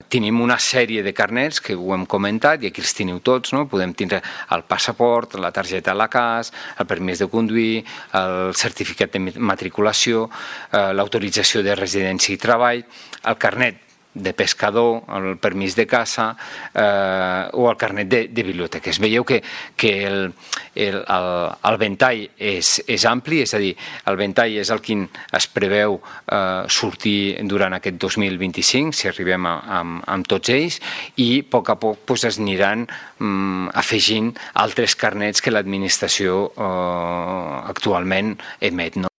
tenim una sèrie de carnets que ho hem comentat i aquí els teniu tots, no? Podem tindre el passaport, la targeta a la CAS, el permís de conduir, el certificat de matriculació, l'autorització de residència i treball, el carnet de pescador, el permís de caça o el carnet de biblioteques. Veieu que el ventall és ampli, és a dir, el ventall és el que es preveu sortir durant aquest 2025, si arribem amb tots ells, i a poc es aniran afegint altres carnets que l'administració actualment emet.